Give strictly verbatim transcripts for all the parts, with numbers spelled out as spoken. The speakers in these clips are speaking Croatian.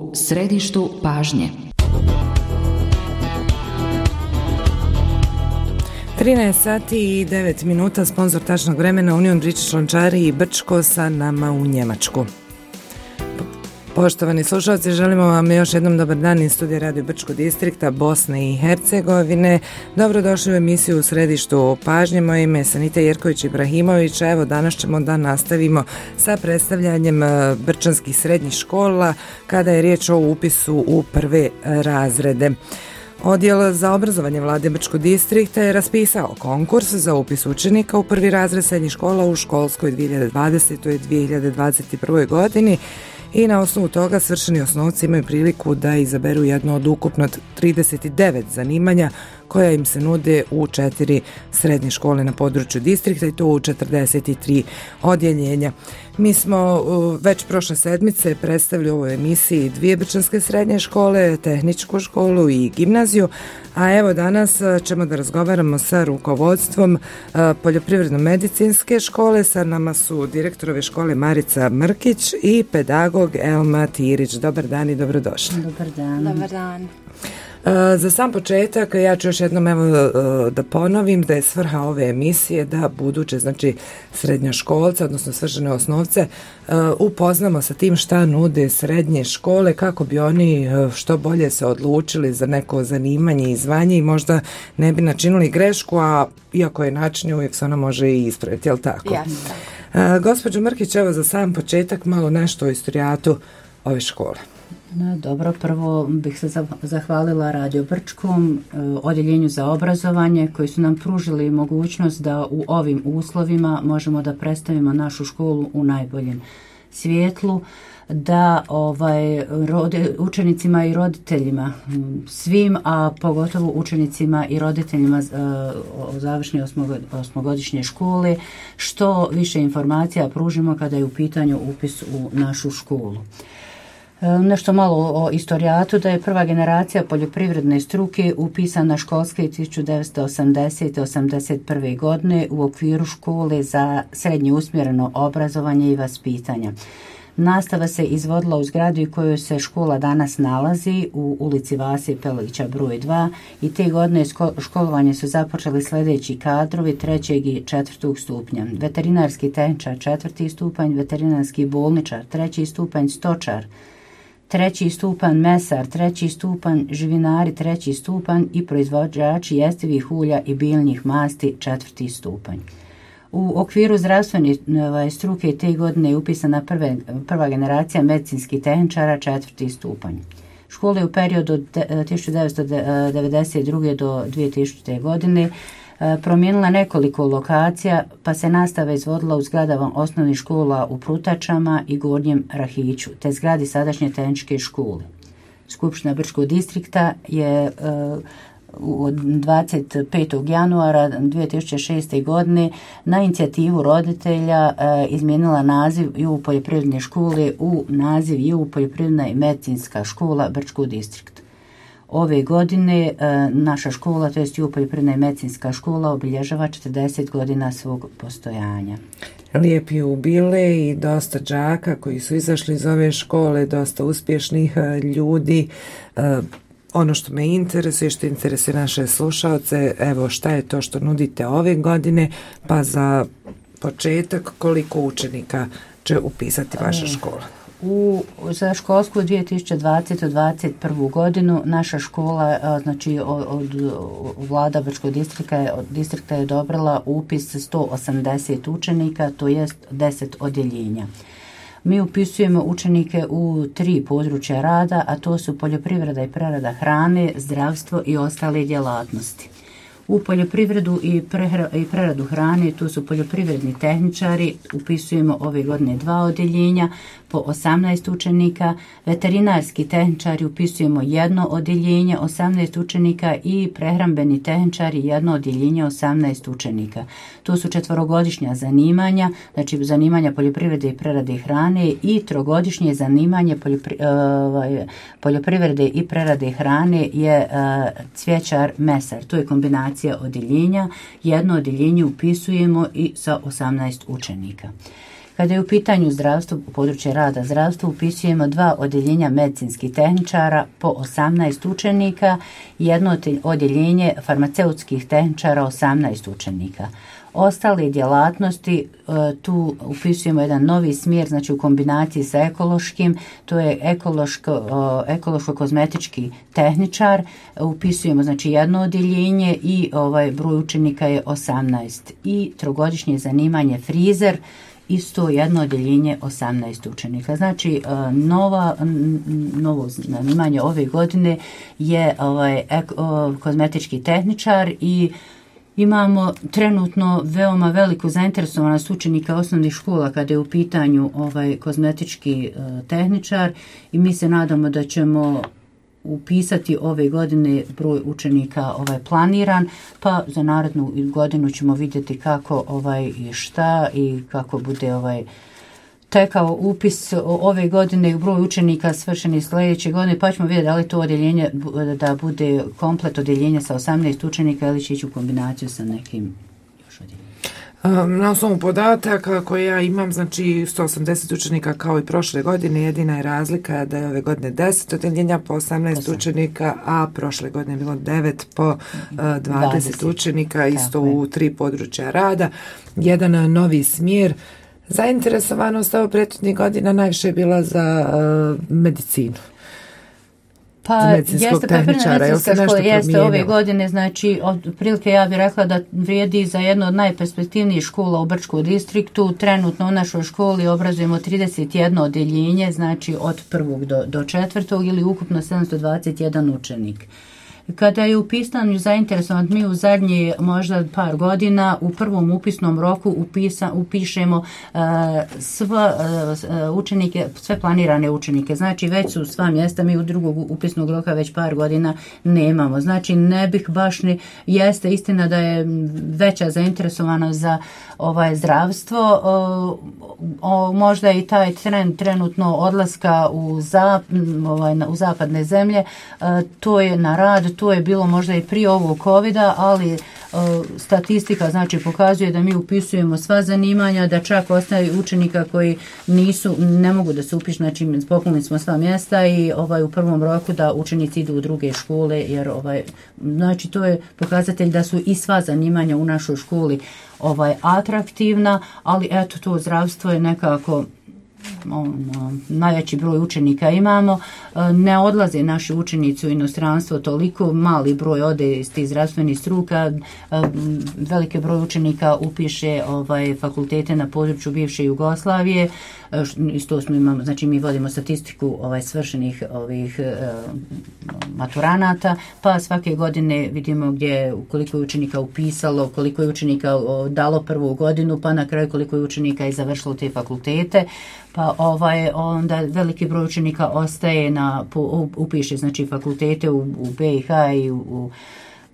u središtu pažnje. trinaest sati i devet minuta, sponsor tačnog vremena Union British Lončari i Brčko sa nama u Njemačku. Poštovani slušalci, želimo vam još jednom dobar dan iz studija Radio Brčko distrikta Bosne i Hercegovine. Dobrodošli u emisiju u središtu pažnje. Moje ime je Sanita Jerković-Ibrahimović. Evo, danas ćemo da nastavimo sa predstavljanjem brčanskih srednjih škola kada je riječ o upisu u prve razrede. Odjel za obrazovanje Vlade Brčkog distrikta je raspisao konkurs za upis učenika u prvi razred srednjih škola u školskoj dvije hiljade dvadesetoj dvije hiljade dvadeset prve godini i na osnovu toga svršeni osnovci imaju priliku da izaberu jedno od ukupno trideset devet zanimanja koja im se nude u četiri srednje škole na području distrikta i to u četrdeset tri odjeljenja. Mi smo već prošle sedmice predstavili u ovoj emisiji dvije brčanske srednje škole, tehničku školu i gimnaziju, a evo danas ćemo da razgovaramo sa rukovodstvom poljoprivredno-medicinske škole. Sa nama su direktorove škole Marica Mrkić i pedagog Elma Tirić. Dobar dan i dobrodošli. Dobar dan. Dobar dan. Za sam početak ja ću još jednom evo da ponovim da je svrha ove emisije da buduće, znači srednjoškolce, odnosno svršene osnovce, upoznamo sa tim šta nude srednje škole kako bi oni što bolje se odlučili za neko zanimanje i zvanje i možda ne bi načinili grešku, a iako je način uvijek se ona može i ispraviti, jel tako? Jasno. Gospođo Mrkić, evo za sam početak malo nešto o istorijatu ove škole. No, dobro, prvo bih se zahvalila Radio Brčkom, odjeljenju za obrazovanje koji su nam pružili mogućnost da u ovim uslovima možemo da predstavimo našu školu u najboljem svjetlu, da ovaj, rode, učenicima i roditeljima svim, a pogotovo učenicima i roditeljima uh, završne osmogodišnje škole što više informacija pružimo kada je u pitanju upis u našu školu. Nešto malo o istorijatu, da je prva generacija poljoprivredne struke upisana školske tisuću devetsto osamdesete osamdeset prve godine u okviru škole za srednje usmjereno obrazovanje i vaspitanja. Nastava se izvodila u zgradi u kojoj se škola danas nalazi u ulici Vase Pelića broj dva i te godine školovanje su započeli sljedeći kadrovi trećeg i četvrtog stupnja. Veterinarski tehničar četvrti stupanj, veterinarski bolničar treći stupanj, stočar treći stupanj, mesar treći stupanj, živinari treći stupanj i proizvođači jestivih ulja i biljnih masti četvrti stupanj. U okviru zdravstvene struke te godine je upisana prve, prva generacija medicinskih tehničara četvrti stupanj. Škola je u periodu od tisuću devetsto devedeset druge do dvije tisućite. godine promijenila nekoliko lokacija, pa se nastava izvodila u zgradama osnovnih škola u Prutačama i Gornjem Rahiću, te zgradi sadašnje tehničke škole. Skupština Brčkog distrikta je od dvadeset petog januara dvije tisuće šeste. godine na inicijativu roditelja izmijenila naziv J U poljoprivredne škole u naziv J U poljoprivredna i medicinska škola Brčkog distrikta. Ove godine naša škola, to jest J U poljoprivredna i medicinska škola, obilježava četrdeset godina svog postojanja. Lijep jubilej i dosta đaka koji su izašli iz ove škole, dosta uspješnih ljudi. Ono što me interesuje, što interesuje naše slušalce, evo šta je to što nudite ove godine, pa za početak koliko učenika će upisati vaša škola? U, za školsku dvije tisuće dvadesete dvadeset prvu. godinu naša škola, znači od, od Vlada Brčkog distrikta, distrikta je odobrila upis sto osamdeset učenika, to jest deset odjeljenja. Mi upisujemo učenike u tri područja rada, a to su poljoprivreda i prerada hrane, zdravstvo i ostale djelatnosti. U poljoprivredu i, prehra, i preradu hrane tu su poljoprivredni tehničari, upisujemo ove godine dva odjeljenja po osamnaest učenika, veterinarski tehničari upisujemo jedno odjeljenje, osamnaest učenika i prehrambeni tehničari jedno odjeljenje, osamnaest učenika. To su četvorogodišnja zanimanja, znači zanimanja poljoprivrede i prerade hrane i trogodišnje zanimanje poljopri, uh, poljoprivrede i prerade hrane je uh, cvjećar mesar. To je kombinacija odjeljenja. Jedno odjeljenje upisujemo i sa osamnaest učenika. Kada je u pitanju zdravstvo, područje rada zdravstva, upisujemo dva odjeljenja medicinskih tehničara po osamnaest učenika i jedno odjeljenje farmaceutskih tehničara osamnaest učenika. Ostale djelatnosti, tu upisujemo jedan novi smjer, znači u kombinaciji sa ekološkim, to je ekološko, ekološko-kozmetički tehničar, upisujemo znači jedno odjeljenje i ovaj broj učenika je osamnaest. I trogodišnje zanimanje frizer, isto jedno odjeljenje osamnaest učenika. Znači nova, novo zanimanje ove godine je ovaj eko, kozmetički tehničar i imamo trenutno veoma veliku zainteresovanost učenika osnovnih škola kada je u pitanju ovaj kozmetički uh, tehničar i mi se nadamo da ćemo upisati ove godine broj učenika ovaj planiran, pa za narednu godinu ćemo vidjeti kako ovaj i šta i kako bude ovaj tekao upis ove godine u broj učenika svršenih sljedeće godine, pa ćemo vidjeti da li to odjeljenje da bude komplet odjeljenja sa osamnaest učenika ili će ići u kombinaciju sa nekim još odjeljenjem. Na osnovu podataka koje ja imam, znači sto osamdeset učenika kao i prošle godine, jedina je razlika da je ove godine deset odjeljenja po osamnaest učenika, a prošle godine je bilo devet po uh, dvadeset, dvadeset učenika, isto u tri područja rada, jedan novi smjer. Zainteresovanost ovo prethodnih godina najviše je bila za uh, medicinu. Pa jeste tehničara, medicinska škola, jeste ove godine, znači otprilike ja bih rekla da vrijedi za jednu od najperspektivnijih škola u Brčkom distriktu. Trenutno u našoj školi obrazujemo trideset jedno odjeljenje, znači od prvog do, do četvrtog ili ukupno sedamsto dvadeset jedan učenik. Kada je u pisanju zainteresovan, mi u zadnji možda par godina u prvom upisnom roku upisa, upišemo uh, sva uh, učenike, sve planirane učenike. Znači već su sva mjesta, mi u drugog upisnog roka već par godina nemamo. Znači ne bih baš ni, jeste istina da je veća zainteresovanost za ovaj zdravstvo, uh, o, možda i taj trend trenutno odlaska u, zap, ovaj, u zapadne zemlje, uh, to je na rad, to je bilo možda i prije ovog covida, ali uh, statistika znači pokazuje da mi upisujemo sva zanimanja, da čak ostaje učenika koji nisu, ne mogu da se upišu, znači popunili smo sva mjesta i ovaj u prvom roku da učenici idu u druge škole, jer ovaj znači to je pokazatelj da su i sva zanimanja u našoj školi ovaj atraktivna, ali eto to zdravstvo je nekako ono, najveći broj učenika imamo, ne odlaze naši učenici u inostranstvo toliko, mali broj ode iz tih zdravstvenih struka, veliki broj učenika upiše ovaj fakultete na području bivše Jugoslavije, isto smo imamo, znači mi vodimo statistiku ovaj svršenih ovih maturanata, pa svake godine vidimo gdje koliko je učenika upisalo, koliko je učenika dalo prvu godinu, pa na kraju koliko je učenika je završilo te fakultete. Pa ovaj onda veliki broj učenika ostaje na upiše znači fakultete u, u B i H i u, u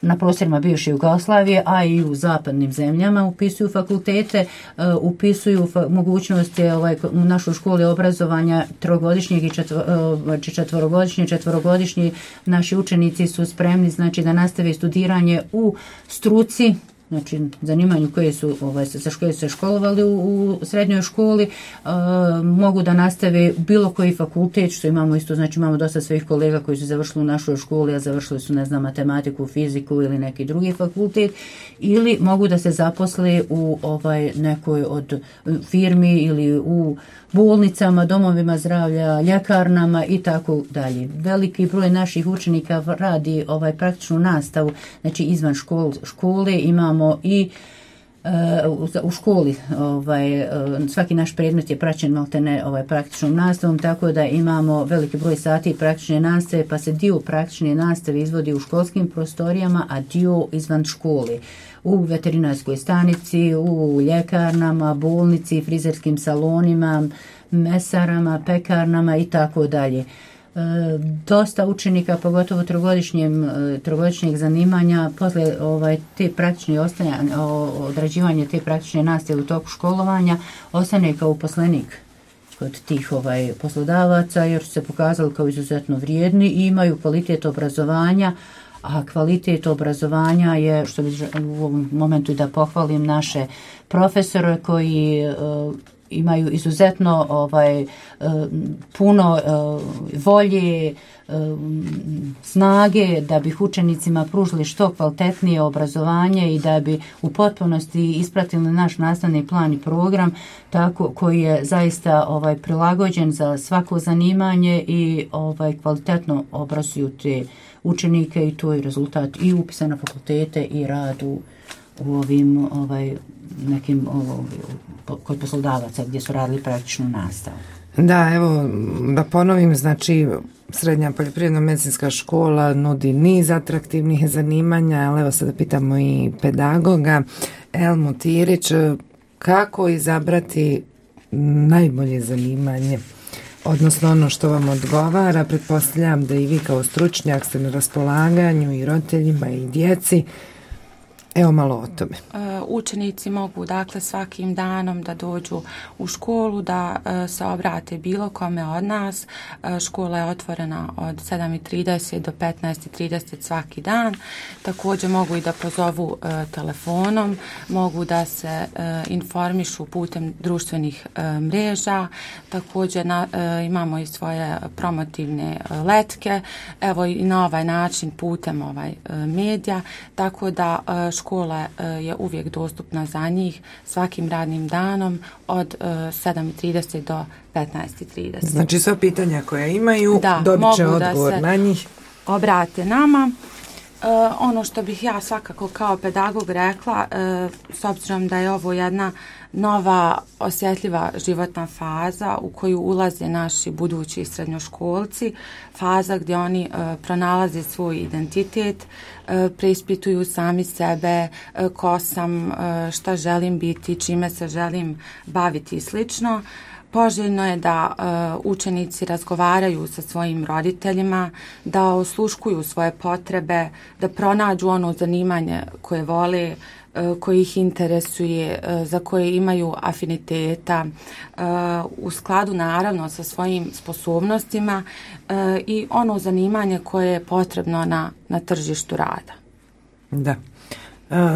na prostorima bivše Jugoslavije, a i u zapadnim zemljama upisuju fakultete, uh, upisuju fa- mogućnosti ovaj, u našoj školi obrazovanja trogodišnjeg i četvor, uh, četvorogodišnje, četvorogodišnji naši učenici su spremni znači da nastave studiranje u struci, znači zanimanju koje su ovaj, za koje su se školovali u, u srednjoj školi, uh, mogu da nastave bilo koji fakultet, što imamo isto, znači imamo dosta svojih kolega koji su završili u našoj školi, a završili su, ne znam, matematiku, fiziku ili neki drugi fakultet, ili mogu da se zaposle u ovaj nekoj od firmi ili u bolnicama, domovima zdravlja, ljekarnama i tako dalje. Veliki broj naših učenika radi ovaj praktičnu nastavu, znači izvan škol, škole imamo i uh, u školi ovaj, uh, svaki naš predmet je praćen maltene ovaj, praktičnom nastavom, tako da imamo veliki broj sati praktične nastave, pa se dio praktične nastave izvodi u školskim prostorijama, a dio izvan škole. U veterinarskoj stanici, u ljekarnama, bolnici, frizerskim salonima, mesarama, pekarnama i tako dalje. E, dosta učenika, pogotovo trogodišnjem, trogodišnjeg zanimanja, posle ovaj, te praktične ostajanja, odrađivanje te praktične nastave u toku školovanja, ostane kao uposlenik kod tih ovaj, poslodavaca, jer su se pokazali kao izuzetno vrijedni i imaju kvalitet obrazovanja, a kvalitet obrazovanja je, što bi u ovom momentu i da pohvalim naše profesore koji uh, imaju izuzetno ovaj, puno volje, snage da bi učenicima pružili što kvalitetnije obrazovanje i da bi u potpunosti ispratili naš nastavni plan i program tako koji je zaista ovaj prilagođen za svako zanimanje i ovaj kvalitetno obrazuju te učenike i to je rezultat i upisa na fakultete i rad u, u ovim ovaj nekim ovo, kod poslodavaca gdje su radili praktičnu nastavu. Da, evo da ponovim, znači Srednja poljoprivredno-medicinska škola nudi niz atraktivnih zanimanja, ali evo sada pitamo i pedagoga Elmu Tirić, kako izabrati najbolje zanimanje, odnosno ono što vam odgovara. Pretpostavljam da i vi kao stručnjak ste na raspolaganju i roditeljima i djeci. Evo malo o tome. Učenici mogu dakle svakim danom da dođu u školu, da se obrate bilo kome od nas. Škola je otvorena od sedam i trideset do petnaest i trideset svaki dan. Također mogu i da pozovu telefonom, mogu da se informišu putem društvenih mreža. Također na, imamo i svoje promotivne letke, evo i na ovaj način putem ovaj medija, tako da škola je uvijek dostupna za njih svakim radnim danom od sedam i trideset do petnaest i trideset. Znači sva pitanja koja imaju da, dobit će odgovor na njih. Obrate nama. Uh, ono što bih ja svakako kao pedagog rekla, uh, s obzirom da je ovo jedna nova osjetljiva životna faza u koju ulaze naši budući srednjoškolci, faza gdje oni uh, pronalaze svoj identitet, uh, preispituju sami sebe, uh, ko sam, uh, šta želim biti, čime se želim baviti i slično. Poželjno je da uh, učenici razgovaraju sa svojim roditeljima, da osluškuju svoje potrebe, da pronađu ono zanimanje koje vole, uh, koje ih interesuje, uh, za koje imaju afiniteta, uh, u skladu naravno sa svojim sposobnostima uh, i ono zanimanje koje je potrebno na, na tržištu rada. Da.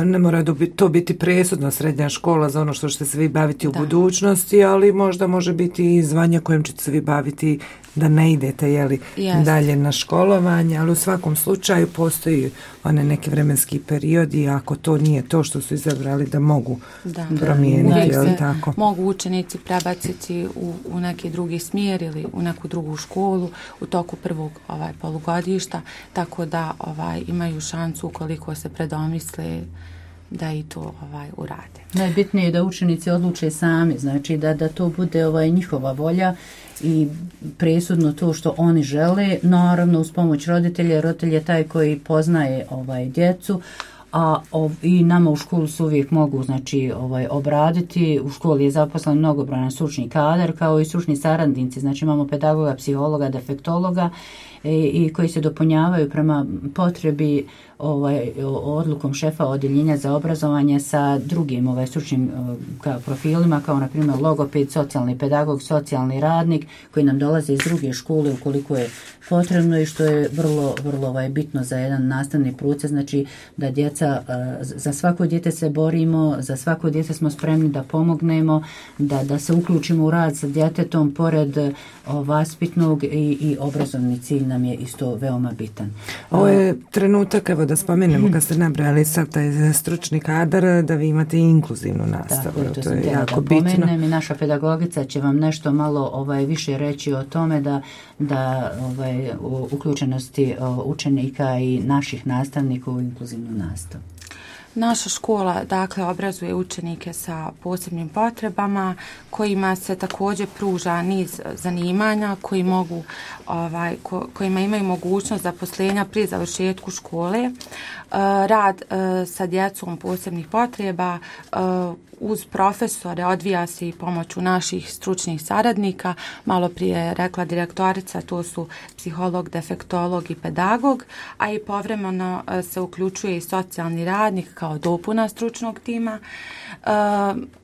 Ne mora to biti presudna srednja škola za ono što ćete se vi baviti u da. budućnosti, ali možda može biti i zvanje kojim ćete se vi baviti da ne idete jeli, dalje na školovanje, ali u svakom slučaju postoji one neki vremenski periodi i ako to nije to što su izabrali da mogu da. promijeniti. Da, jeli, tako? Mogu učenici prebaciti u, u neki drugi smjer ili u neku drugu školu u toku prvog ovaj, polugodišta, tako da ovaj, imaju šansu ukoliko se predomisle da i to ovaj urade. Najbitnije je da učenici odluče sami, znači da da to bude ovaj njihova volja i presudno to što oni žele, naravno uz pomoć roditelja, roditelj je taj koji poznaje ovaj djecu, a ov, i nama u školu se uvijek mogu znači ovaj obraditi. U školi je zaposlen mnogobrojan stručni kadar kao i stručni saradnici, znači imamo pedagoga, psihologa, defektologa i, i koji se dopunjavaju prema potrebi ovaj odlukom šefa odjeljenja za obrazovanje sa drugim ovaj stručnim kao profilima kao na primjer logoped, socijalni pedagog, socijalni radnik koji nam dolaze iz druge škole ukoliko je potrebno i što je vrlo vrlo ovaj bitno za jedan nastavni proces, znači da djeca za svako dijete se borimo, za svako dijete smo spremni da pomognemo, da da se uključimo u rad sa djetetom pored o, vaspitnog i, i obrazovni cilj nam je isto veoma bitan. Ovo je trenutak, evo da spomenemo kad ste nabrali sad taj stručni kadar, da vi imate inkluzivnu nastavu. Da, to, to je da jako bitno. Pomenem i naša pedagogica će vam nešto malo ovaj više reći o tome da da ovaj u uključenosti učenika i naših nastavnika u inkluzivnu nastavu. Naša škola dakle obrazuje učenike sa posebnim potrebama kojima se također pruža niz zanimanja koji mogu ovaj ko, kojima imaju mogućnost zaposlenja pri završetku škole. E, rad e, sa djecom posebnih potreba e, uz profesore odvija se i pomoću naših stručnih saradnika. Malo prije rekla direktorica, to su psiholog, defektolog i pedagog, a i povremeno se uključuje i socijalni radnik kao dopuna stručnog tima. E,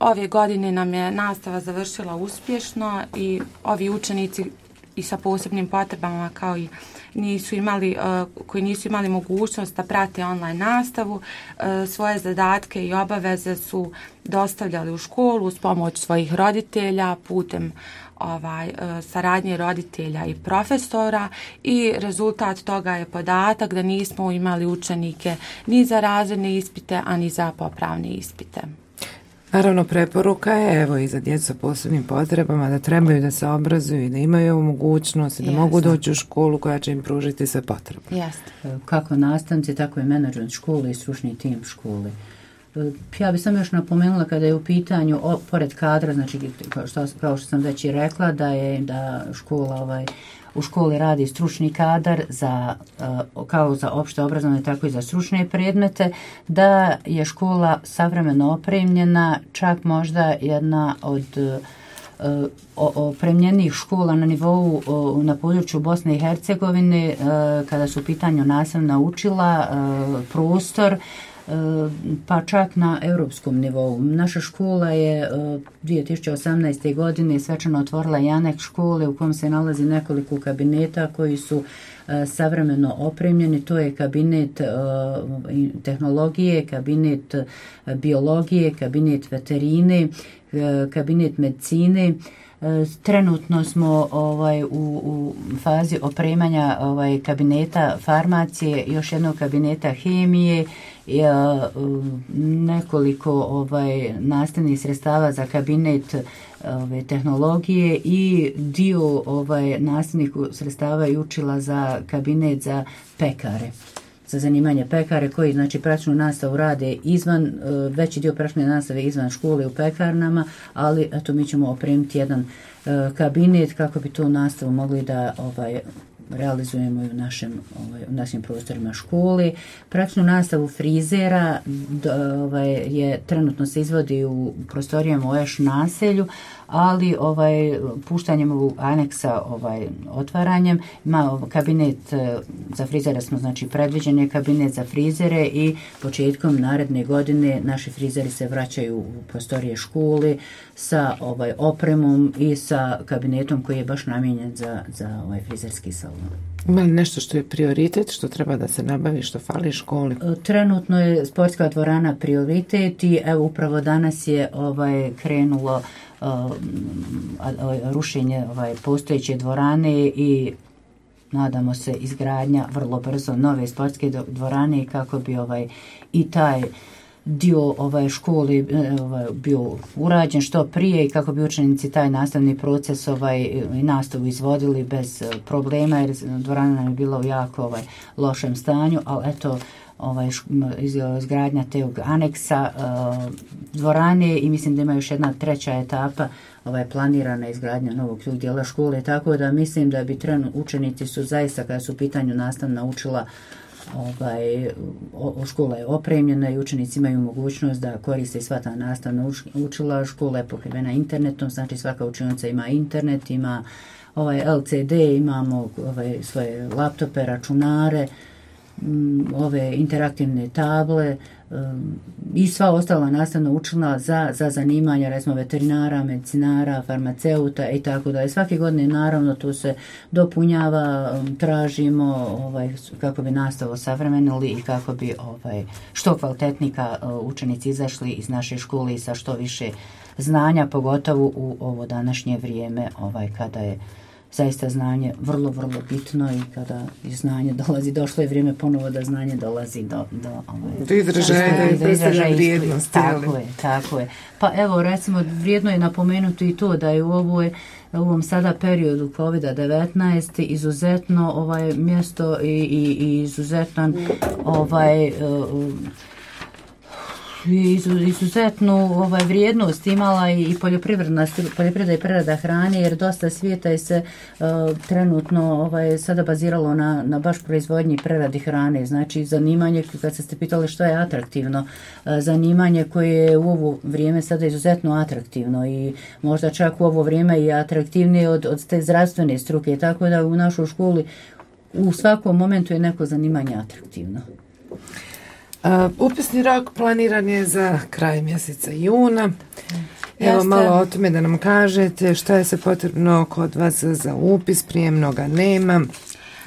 ove godine nam je nastava završila uspješno i ovi učenici i sa posebnim potrebama kao i nisu imali, koji nisu imali mogućnost da prate online nastavu, svoje zadatke i obaveze su dostavljali u školu uz pomoć svojih roditelja putem ovaj, saradnje roditelja i profesora i rezultat toga je podatak da nismo imali učenike ni za razredne ispite, a ni za popravne ispite. Naravno, preporuka je, evo, i za djecu sa posebnim potrebama, da trebaju da se obrazuju i da imaju ovu mogućnost i da Jasne. mogu doći u školu koja će im pružiti sve potrebe. Jeste. Kako nastavnici, tako i menadžment škole i stručni tim škole. Ja bih sam još napomenula kada je u pitanju, o, pored kadra, znači kao što, kao što sam već i rekla, da je da škola ovaj, u školi radi stručni kadar za, kao za opšte obrazovanje, tako i za stručne predmete, da je škola savremeno opremljena, čak možda jedna od opremljenih škola na nivou na području Bosne i Hercegovine, kada su u pitanju nastavna učila, prostor, pa čak na europskom nivou. Naša škola je dvije tisuće osamnaeste. godine svečano otvorila i aneks škole u kom se nalazi nekoliko kabineta koji su savremeno opremljeni. To je kabinet tehnologije, kabinet biologije, kabinet veterine, kabinet medicine. Trenutno smo ovaj, u, u fazi opremanja ovaj, kabineta farmacije, još jednog kabineta hemije, i, nekoliko ovaj, nastavnih sredstava za kabinet ovaj, tehnologije i dio ovaj, nastavnih sredstava i učila za kabinet za pekare. Za zanimanje pekare koji znači praktičnu nastavu rade izvan, veći dio praktične nastave izvan škole u pekarnama, ali eto mi ćemo opremiti jedan kabinet kako bi tu nastavu mogli da ovaj, realizujemo i u našem, ovaj, u našim prostorima škole. Praktičnu nastavu frizera ovaj, je trenutno se izvodi u prostorijama u Eš naselju, ali ovaj puštanjem ovog aneksa ovaj otvaranjem ima kabinet za frizere smo znači predviđen je kabinet za frizere i početkom naredne godine naši frizeri se vraćaju u prostorije škole sa ovaj opremom i sa kabinetom koji je baš namijenjen za za ovaj frizerski salon. Ima li nešto što je prioritet, što treba da se nabavi, što fali školi? Trenutno je sportska dvorana prioritet i evo upravo danas je ovaj krenulo uh, rušenje ovaj postojeće dvorane i nadamo se izgradnja vrlo brzo nove sportske dvorane kako bi ovaj i taj dio ovaj škole ovaj bio urađen što prije i kako bi učenici taj nastavni proces ovaj i nastavu izvodili bez problema jer dvorana nam je bila u jako ovaj lošem stanju, ali eto ovaj izgradnja tog aneksa uh, dvorane i mislim da ima još jedna treća etapa ovaj planirana izgradnja novog dijela škole, tako da mislim da bi trenutno učenici su zaista kada su u pitanju nastavna učila ovaj o, škola je opremljena i učenici imaju mogućnost da koriste sva ta nastavna učila. Škola je pokrivena internetom, znači svaka učionica ima internet, ima ovaj L C D, imamo ovaj svoje laptope, računare, ove interaktivne table um, i sva ostala nastavna učila za, za zanimanja, recimo veterinara, medicinara, farmaceuta i tako da. Svake godine naravno tu se dopunjava, um, tražimo ovaj, kako bi nastavu savremenili i kako bi ovaj, što kvalitetnika uh, učenici izašli iz naše škole i sa što više znanja, pogotovo u ovo današnje vrijeme ovaj, kada je zaista znanje vrlo, vrlo bitno i kada znanje dolazi, došlo je vrijeme ponovo da znanje dolazi do, do, ovaj, do izražaja i predstavlja vrijednosti. Tako je, tako je. Pa evo, recimo, vrijedno je napomenuti i to da je u ovoj u ovom sada periodu kovid devetnaest izuzetno ovaj mjesto i, i, i izuzetan ovaj uh, izuzetnu ovaj vrijednost imala i poljoprivredna poljoprivreda i prerada hrane jer dosta svijeta je se uh, trenutno ovaj sada baziralo na na baš proizvodnji i preradi hrane. Znači zanimanje, kad ste pitali što je atraktivno, uh, zanimanje koje je u ovo vrijeme sada izuzetno atraktivno i možda čak u ovo vrijeme i atraktivnije od od te zdravstvene struke, tako da u našoj školi u svakom momentu je neko zanimanje atraktivno. Uh, upisni rok planiran je za kraj mjeseca juna. Evo Jeste... malo o tome da nam kažete šta je se potrebno kod vas za upis, prijemnoga nema.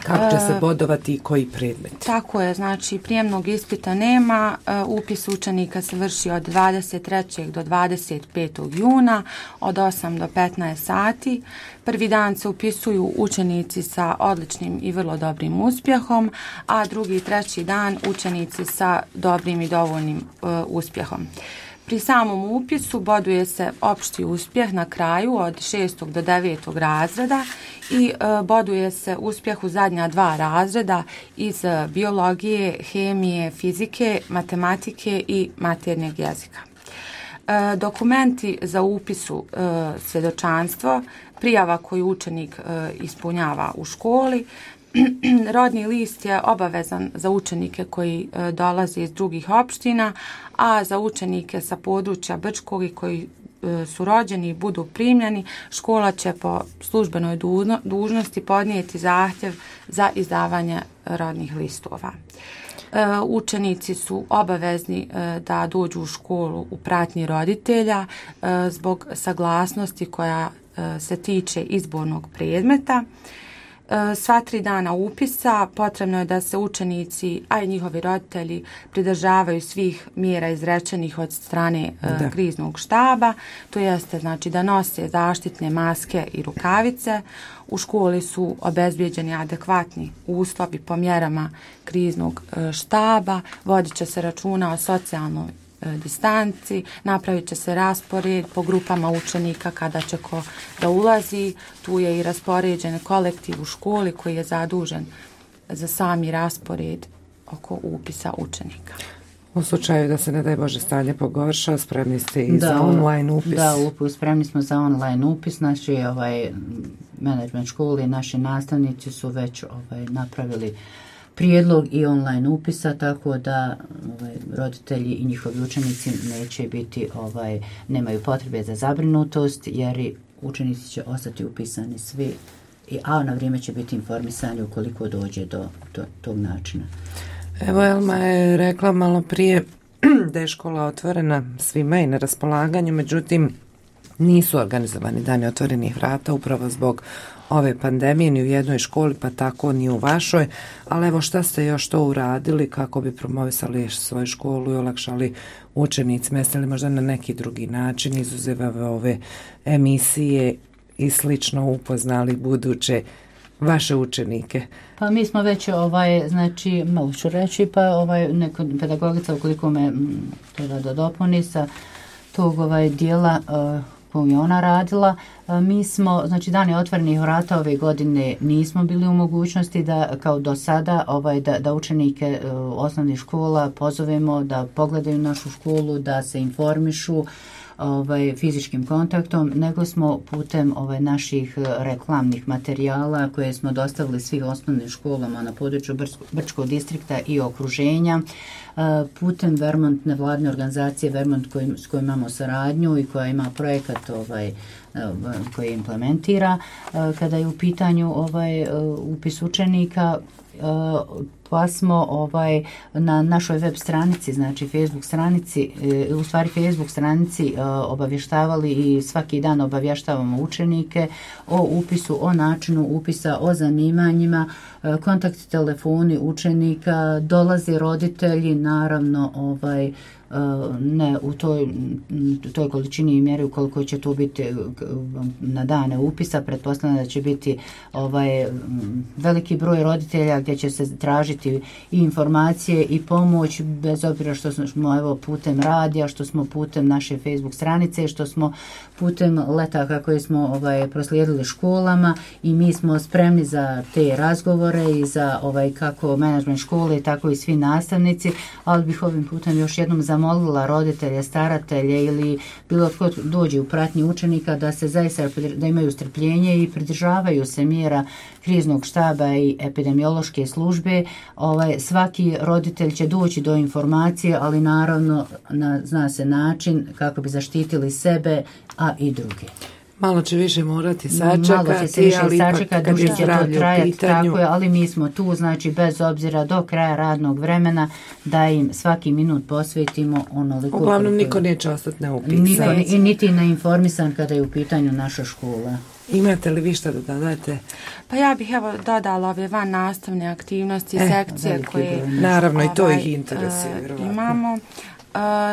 Kako će se bodovati i koji predmet? Tako je, znači prijemnog ispita nema, upis učenika se vrši od dvadeset trećeg do dvadeset petog juna od osam do petnaest sati. Prvi dan se upisuju učenici sa odličnim i vrlo dobrim uspjehom, a drugi i treći dan učenici sa dobrim i dovoljnim uh, uspjehom. Pri samom upisu boduje se opšti uspjeh na kraju od šestog do devetog razreda i e, boduje se uspjeh u zadnja dva razreda iz biologije, hemije, fizike, matematike i maternjeg jezika. E, dokumenti za upisu e, svjedočanstvo, prijava koju učenik e, ispunjava u školi, rodni list je obavezan za učenike koji e, dolaze iz drugih opština, a za učenike sa područja Brčkog i koji e, su rođeni i budu primljeni, škola će po službenoj dužno, dužnosti podnijeti zahtjev za izdavanje rodnih listova. E, učenici su obavezni e, da dođu u školu u pratnji roditelja e, zbog saglasnosti koja e, se tiče izbornog predmeta. Sva tri dana upisa potrebno je da se učenici, a i njihovi roditelji pridržavaju svih mjera izrečenih od strane da. kriznog štaba. To jeste znači da nose zaštitne maske i rukavice. U školi su obezbijeđeni adekvatni uslovi po mjerama kriznog štaba. Vodit će se računa o socijalnoj distanci, napravit će se raspored po grupama učenika kada će ko da ulazi. Tu je i raspoređen kolektiv u školi koji je zadužen za sami raspored oko upisa učenika. U slučaju da se, ne daj Bože, stanje pogorša, spremni ste i da, za online upis? Da, upis, spremni smo za online upis. Naši ovaj, menadžment škole i naši nastavnici su već ovaj, napravili prijedlog i online upisa, tako da ovaj, roditelji i njihovi učenici neće biti, ovaj, nemaju potrebe za zabrinutost, jer učenici će ostati upisani svi, a na vrijeme će biti informisani ukoliko dođe do, do tog načina. Evo, Elma je rekla malo prije da je škola otvorena svima i na raspolaganju, međutim nisu organizovani dani otvorenih vrata upravo zbog ove pandemije ni u jednoj školi, pa tako ni u vašoj, ali evo šta ste još to uradili kako bi promovisali svoju školu i olakšali učenicima, jeste li možda na neki drugi način izuzevave ove emisije i slično upoznali buduće vaše učenike? Pa mi smo već, ovaj, znači, malo ću reći, pa ovaj, neko pedagogica, ukoliko me treba da dopuni sa tog ovaj, dijela uh, koju je ona radila, mi smo, znači dani otvorenih vrata ove godine nismo bili u mogućnosti da, kao do sada, ovaj, da, da učenike uh, osnovnih škola pozovemo da pogledaju našu školu, da se informišu ovaj, fizičkim kontaktom, nego smo putem ovaj, naših reklamnih materijala koje smo dostavili svih osnovnim školama na području Brčkog distrikta i okruženja, putem Vermont, nevladne organizacije Vermont koj, s kojim imamo saradnju i koja ima projekat ovaj, koji implementira. Kada je u pitanju ovaj, upis učenika, pa smo ovaj, na našoj web stranici, znači Facebook stranici, u stvari Facebook stranici obavještavali i svaki dan obavještavamo učenike o upisu, o načinu upisa, o zanimanjima, kontakt telefoni učenika, dolaze roditelji, naravno ovaj, ne u toj, toj količini i mjeri ukoliko će tu biti na dane upisa, pretpostavljam da će biti ovaj, veliki broj roditelja gdje će se tražiti i informacije i pomoć, bez obzira što smo evo, putem radija, što smo putem naše Facebook stranice, što smo putem letaka koje smo ovaj, proslijedili školama, i mi smo spremni za te razgovore i za ovaj, kako menadžment škole, tako i svi nastavnici, ali bih ovim putem još jednom zamolila roditelje, staratelje ili bilo tko dođe u pratnji učenika da se zaista da imaju strpljenje i pridržavaju se mjera kriznog štaba i epidemiološke službe. Ovaj, svaki roditelj će doći do informacije, ali naravno na, zna se način kako bi zaštitili sebe, a i druge. Malo će više morati sačekati. Malo će se više sačekati, duže će to trajati, tako je, ali mi smo tu, znači bez obzira do kraja radnog vremena da im svaki minut posvetimo onoliko. Uglavnom niko neće ostati neupisan. Niko, i niti neinformisan kada je u pitanju naša škola. Imate li vi šta da dodate? Pa ja bih evo dodala ove van nastavne aktivnosti, e, sekcije koje naravno ovaj, i to ih interesuje. Uh, imamo.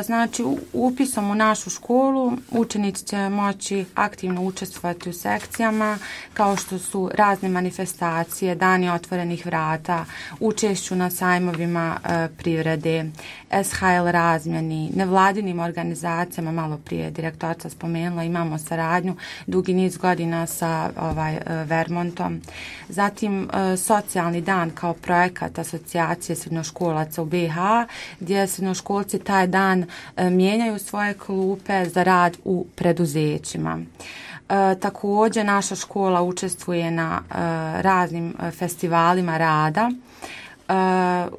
Znači, upisom u našu školu učenici će moći aktivno učestvovati u sekcijama kao što su razne manifestacije, dani otvorenih vrata, učešću na sajmovima e, privrede, S H L razmjeni, nevladinim organizacijama, malo prije direktorica spomenula, imamo saradnju dugi niz godina sa ovaj, Vermontom. Zatim, e, socijalni dan kao projekat asocijacije srednjoškolaca u B i H, gdje srednjoškolci taj dan e, mijenjaju svoje klupe za rad u preduzećima. E, također naša škola učestvuje na e, raznim festivalima rada, e,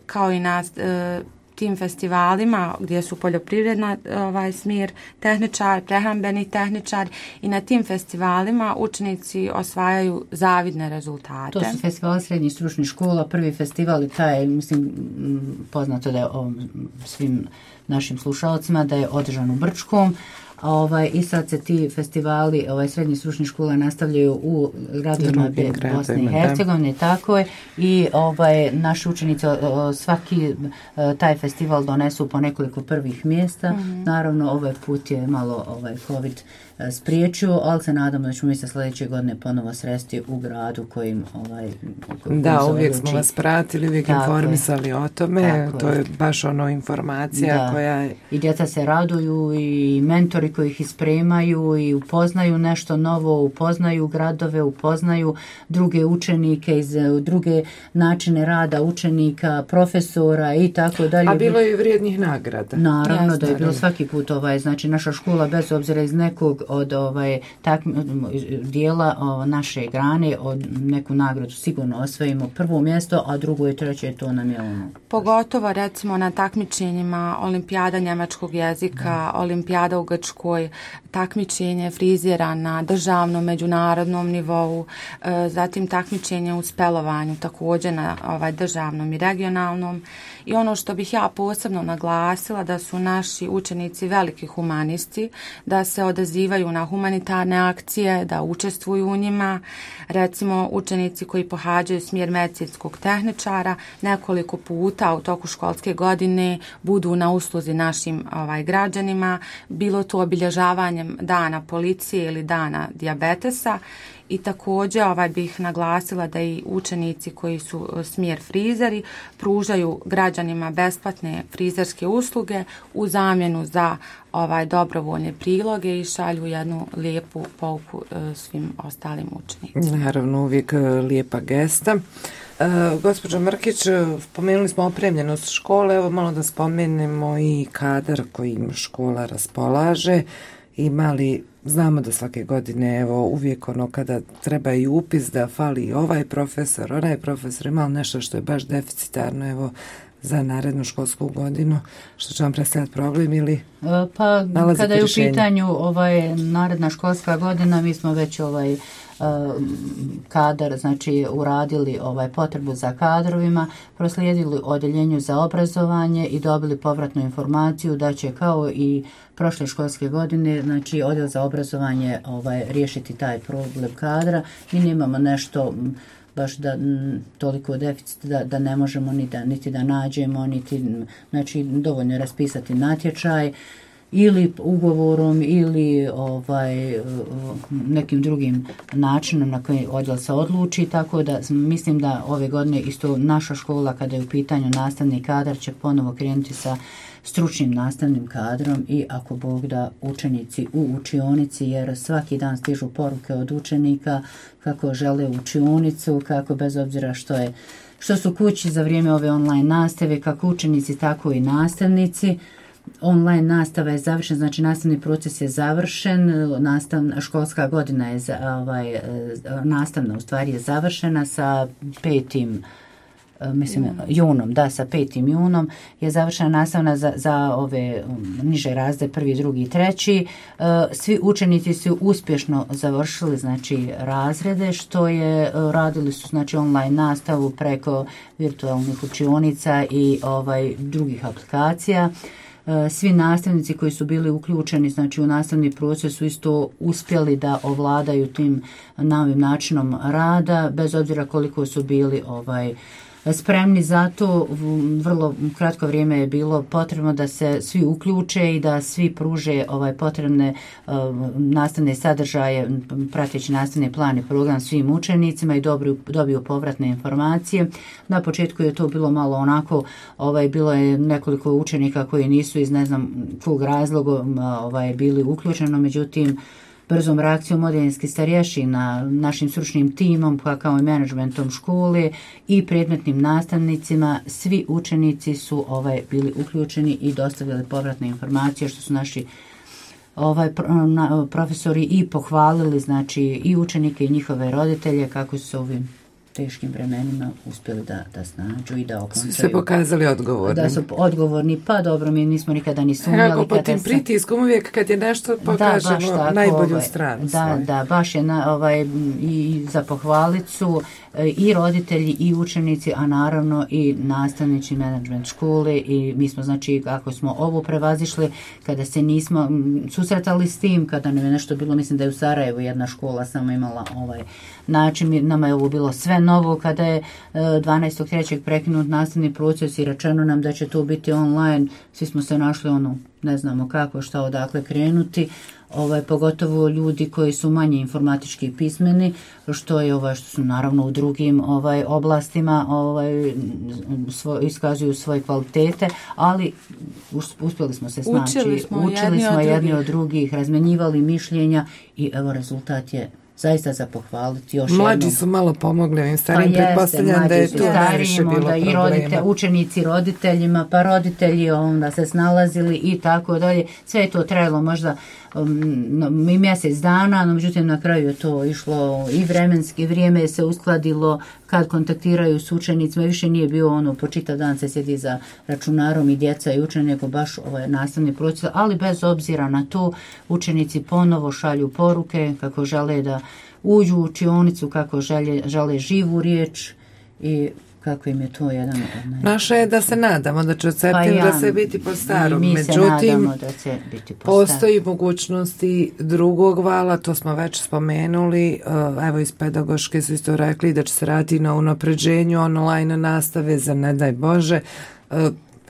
kao i na e, tim festivalima gdje su poljoprivredna ovaj smjer tehničar, prehrambeni tehničar i na tim festivalima učenici osvajaju zavidne rezultate. To su festivali srednjih stručnih škola, prvi festival i taj, mislim, poznato da je o, svim našim slušalcima da je održan u Brčkom. Ovaj, i sad se ti festivali ovaj, srednjih stručnih škola nastavljaju u gradovima Bosne i Hercegovine, tako je, i ovaj, naši učenici o, svaki taj festival donesu po nekoliko prvih mjesta. Mm-hmm. Naravno, ovaj put je malo ovaj, COVID spriječio, ali se nadamo da ćemo mi se sljedeće godine ponovo sresti u gradu kojim ovaj kojim da, uvijek smo vas pratili, uvijek tako informisali je. O tome, tako to je baš ono informacija da. Koja je... I djeca se raduju i mentori koji ih ispremaju i upoznaju nešto novo, upoznaju gradove, upoznaju druge učenike iz druge načine rada učenika, profesora i tako dalje. A bilo je i vrijednih nagrada. Naravno Jasne, da je bilo svaki put ovaj, znači naša škola bez obzira iz nekog od ovaj tak dijela o, naše grane od neku nagradu sigurno osvojimo prvo mjesto, a drugo i treće to nam je ono. Pogotovo recimo na takmičenjima olimpijada njemačkog jezika, da. Olimpijada u Grčkoj, takmičenje frizera na državnom, međunarodnom nivou, e, zatim takmičenje u spelovanju također na ovaj državnom i regionalnom. I ono što bih ja posebno naglasila da su naši učenici veliki humanisti, da se odazivaju na humanitarne akcije, da učestvuju u njima. Recimo učenici koji pohađaju smjer medicinskog tehničara nekoliko puta u toku školske godine budu na usluzi našim ovaj, građanima, bilo to obilježavanjem dana policije ili dana dijabetesa. I također ovaj bih naglasila da i učenici koji su smjer frizeri pružaju građanima besplatne frizerske usluge u zamjenu za ovaj dobrovoljne priloge i šalju jednu lijepu pouku e, svim ostalim učenicima. Naravno, uvijek lijepa gesta. E, gospođo Mrkić, spomenuli smo opremljenost škole, evo malo da spomenemo i kadar kojim škola raspolaže. Ima li, znamo da svake godine, evo, uvijek ono kada treba i upis da fali ovaj profesor, onaj profesor, ima nešto što je baš deficitarno, evo, za narednu školsku godinu, što će vam predstavljati problem ili pa kada je rješenje? U pitanju ovaj naredna školska godina, mi smo već ovaj kadar, znači uradili ovaj potrebu za kadrovima, proslijedili odjeljenju za obrazovanje i dobili povratnu informaciju da će kao i prošle školske godine, znači odjel za obrazovanje ovaj riješiti taj problem kadra. Mi nemamo nešto baš da m, toliko deficit da, da ne možemo ni da, niti da nađemo, niti, znači dovoljno je raspisati natječaj ili ugovorom ili ovaj nekim drugim načinom na koji odjel se odluči, tako da mislim da ove godine isto naša škola kada je u pitanju nastavni kadar će ponovo krenuti sa stručnim nastavnim kadrom i ako Bog da učenici u učionici, jer svaki dan stižu poruke od učenika kako žele učionicu, kako bez obzira što je što su kući za vrijeme ove online nastave, kako učenici tako i nastavnici. Online nastava je završena, znači nastavni proces je završen, nastavna školska godina je ovaj nastavna u stvari je završena sa petim mislim junom, da, sa petim junom je završena nastavna za, za ove niže razrede, prvi, drugi i treći. Svi učenici su uspješno završili znači razrede, što je radili su znači online nastavu preko virtualnih učionica i ovaj drugih aplikacija. Svi nastavnici koji su bili uključeni znači u nastavni proces su isto uspjeli da ovladaju tim novim načinom rada, bez obzira koliko su bili ovaj spremni za to. Vrlo kratko vrijeme je bilo potrebno da se svi uključe i da svi pruže ovaj potrebne uh, nastavne sadržaje, prateći nastavni plan i program svim učenicima i dobiju, dobiju povratne informacije. Na početku je to bilo malo onako, ovaj, bilo je nekoliko učenika koji nisu iz ne znam kog razloga ovaj, bili uključeni, međutim brzom reakcijom odeljenskih starješina, našim stručnim timom, pa kao i menadžmentom škole i predmetnim nastavnicima, svi učenici su ovaj bili uključeni i dostavili povratne informacije, što su naši ovaj profesori i pohvalili, znači i učenike i njihove roditelje kako su se ovim teškim vremenima uspjeli da, da snađu i da okončaju. Su se pokazali odgovorni. Da su odgovorni, pa dobro, mi nismo nikada ni sumnjali. Kako po tim se... pritiskom uvijek kad je nešto pokažemo da, tako, najbolju ovaj, stranu. Da, svoj. da, baš je na, ovaj, i za pohvalicu i roditelji i učenici, a naravno i nastavnici menadžment škole i mi smo znači ako smo ovo prevazišli, kada se nismo susretali s tim, kada nam je nešto bilo, mislim da je u Sarajevu jedna škola samo imala ovaj način, nama je ovo bilo sve novo kada je dvanaestog trećeg prekinut nastavni proces i rečeno nam da će to biti online, svi smo se našli ono, ne znamo kako, šta odakle krenuti, ovaj, pogotovo ljudi koji su manje informatički pismeni, što je ovaj, što su naravno u drugim ovaj oblastima ovaj svoj, iskazuju svoje kvalitete, ali uspjeli smo se snaći, učili smo, učili jedni, smo od jedni od drugih, razmenjivali mišljenja i evo rezultat je zaista za pohvaliti još jednom. Mlađi su malo pomogli ovim starijim, pa pretpostavljam da je tu najviše bilo problema. I rodite, učenici roditeljima, pa roditelji onda se snalazili i tako dalje. Sve je to trajalo možda um, i mjesec dana, no međutim na kraju je to išlo i vremenski, vrijeme je se uskladilo kad kontaktiraju s učenicima, više nije bio ono po čitav dan se sjedi za računarom i djeca i učeni, nego baš ovaj nastavni proces, ali bez obzira na to učenici ponovo šalju poruke kako žele da uđu u učionicu, kako žele, žele živu riječ i kako im je to jedan od naj... Naše je da se nadamo da će od septembra pa ja, se biti po starom. Mi Međutim, da će biti po postoji mogućnosti drugog vala, to smo već spomenuli. Evo iz pedagoške su isto rekli da će se raditi na unapređenju online nastave za ne daj Bože.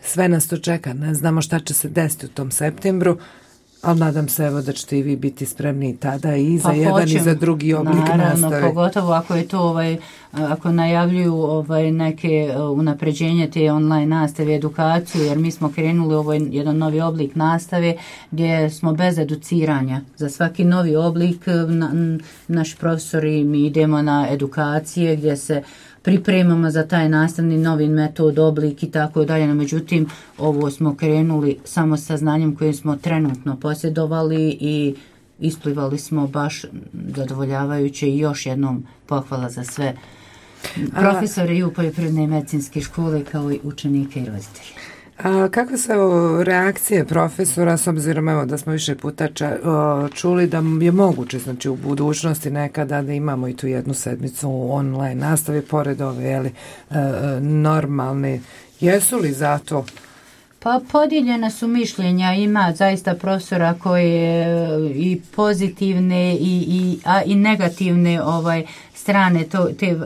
Sve nas to čeka, ne znamo šta će se desiti u tom septembru. Ali nadam se evo da ćete i vi biti spremni tada i za pa jedan hoćem, i za drugi oblik naravno, nastave. Pogotovo ako je to ovaj, ako najavljuju ovaj neke unapređenje te online nastave, edukaciju, jer mi smo krenuli ovaj jedan novi oblik nastave gdje smo bez educiranja. Za svaki novi oblik na, naši profesori mi idemo na edukacije gdje se pripremamo za taj nastavni novi metod, oblik i tako dalje. No, međutim, ovo smo krenuli samo sa znanjem koje smo trenutno posjedovali i isplivali smo baš zadovoljavajuće i još jednom pohvala za sve profesore i u poljoprivredne i medicinske škole kao i učenike i roditelje. A kakve su reakcije profesora, s obzirom evo da smo više puta ča, čuli da je moguće znači u budućnosti nekada da imamo i tu jednu sedmicu online nastave pored ove jeli, normalne. Jesu li za to? Pa podijeljena su mišljenja, ima zaista profesora koje i pozitivne i, i, a, i negativne ovaj strane to, te uh,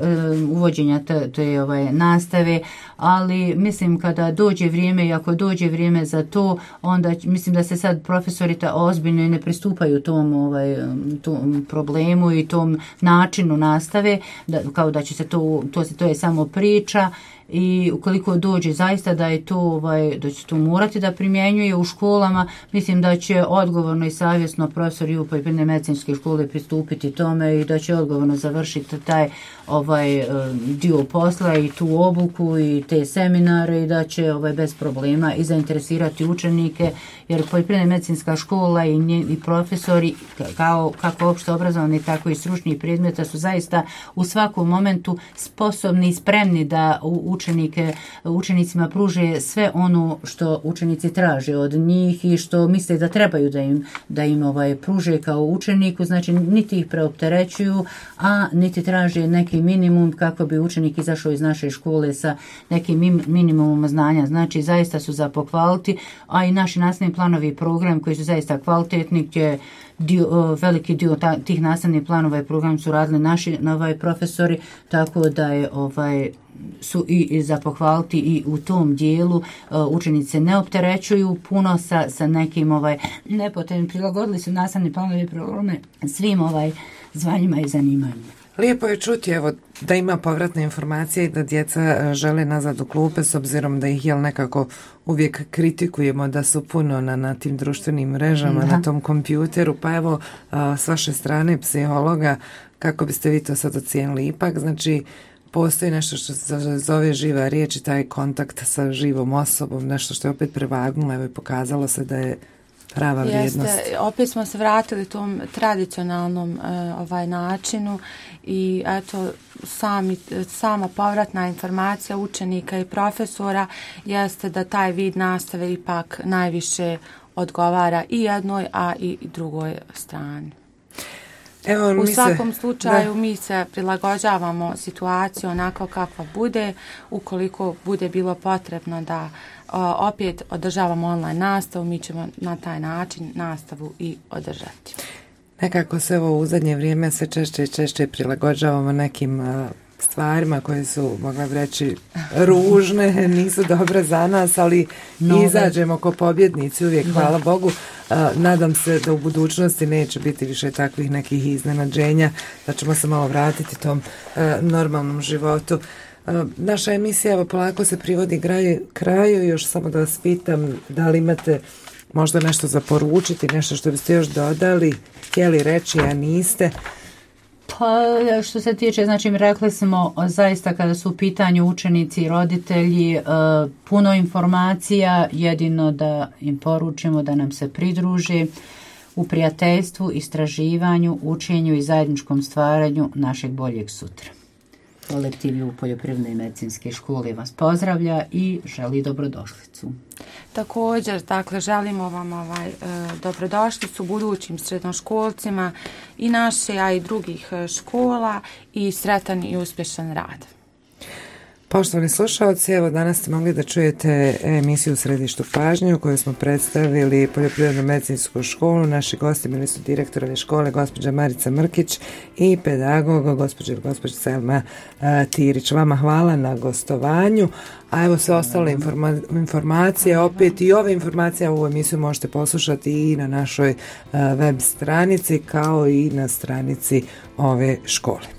uvođenja te, te ovaj nastave, ali mislim kada dođe vrijeme i ako dođe vrijeme za to, onda mislim da se sad profesori ta ozbiljno ne pristupaju tom ovaj tom problemu i tom načinu nastave, da, kao da će se to to se to je samo priča. I ukoliko dođe zaista da je to ovaj da će tu morati da primjenjuje u školama. Mislim da će odgovorno i savjesno profesori u poljoprivredne medicinske škole pristupiti tome i da će odgovorno završiti taj ovaj dio posla i tu obuku i te seminare i da će ovaj bez problema i zainteresirati učenike, jer poljoprivredna medicinska škola i, nje, i profesori kao kako opšte obrazovani tako i stručni predmeta su zaista u svakom momentu sposobni i spremni da učenike učenicima pruže sve ono što učenici traže od njih i što misle da trebaju da im da im ovaj pruže kao učeniku, znači niti ih preopterećuju, a niti traže neki minimum kako bi učenik izašao iz naše škole sa nekim minimumom znanja. Znači zaista su za pohvaliti, a i naši nastavni planovi i program koji su zaista kvalitetni, gdje dio, veliki dio ta, tih nastavnih planova i program su radili naši ovaj profesori, tako da je ovaj su i, i za pohvaliti i u tom dijelu uh, učenice ne opterećuju puno sa, sa nekim ovaj nepotrebnim, prilagodili su nastavni planovi i programe svim ovaj zvanjima i zanimanjima. Lijepo je čuti evo da ima povratne informacije i da djeca žele nazad u klupe, s obzirom da ih jel nekako uvijek kritikujemo da su puno na, na tim društvenim mrežama, da. Na tom kompjuteru, pa evo a, s vaše strane psihologa, kako biste vi to sad ocijenili? Ipak, znači, postoji nešto što se zove živa riječ i taj kontakt sa živom osobom, nešto što je opet prevagnulo, evo i pokazalo se da je prava vrijednost. Jeste, opet smo se vratili tom tradicionalnom uh, ovaj načinu i eto sami, sama povratna informacija učenika i profesora jeste da taj vid nastave ipak najviše odgovara i jednoj, a i drugoj strani. Evo, u mi svakom se, slučaju da. mi se prilagođavamo situaciju onako kakva bude, ukoliko bude bilo potrebno da o, opet održavamo online nastavu, mi ćemo na taj način nastavu i održati. Nekako se ovo u zadnje vrijeme sve češće i češće prilagođavamo nekim uh, stvarima koje su, mogla bi reći, ružne, nisu dobre za nas, ali no, izađemo ko pobjednici uvijek, da. Hvala Bogu. Uh, nadam se da u budućnosti neće biti više takvih nekih iznenađenja, da ćemo se malo vratiti tom uh, normalnom životu. Uh, naša emisija evo polako se privodi kraju, kraju, još samo da vas pitam da li imate možda nešto za poručiti, nešto što biste još dodali, htjeli reći, a niste. Pa što se tiče, znači rekli smo zaista kada su u pitanju učenici i roditelji, puno informacija, jedino da im poručimo da nam se pridruže u prijateljstvu, istraživanju, učenju i zajedničkom stvaranju našeg boljeg sutra. Kolektiv u poljoprivredne i medicinske škole vas pozdravlja i želi dobrodošlicu. Također, dakle, želimo vam ovaj, e, dobrodošlicu budućim srednjoškolcima i naše, a i drugih škola i sretan i uspješan rad. Poštovani slušalci, evo danas ste mogli da čujete emisiju u središtu pažnje u kojoj smo predstavili poljoprivrednu medicinsku školu. Naši gosti bili su direktor ove škole, gospođa Marica Mrkić i pedagog, gospođa ili gospođa Selma uh, Tirić. Vama hvala na gostovanju, a evo sve ostale informa- informacije, opet i ove informacije, ovu emisiju možete poslušati i na našoj uh, web stranici kao i na stranici ove škole.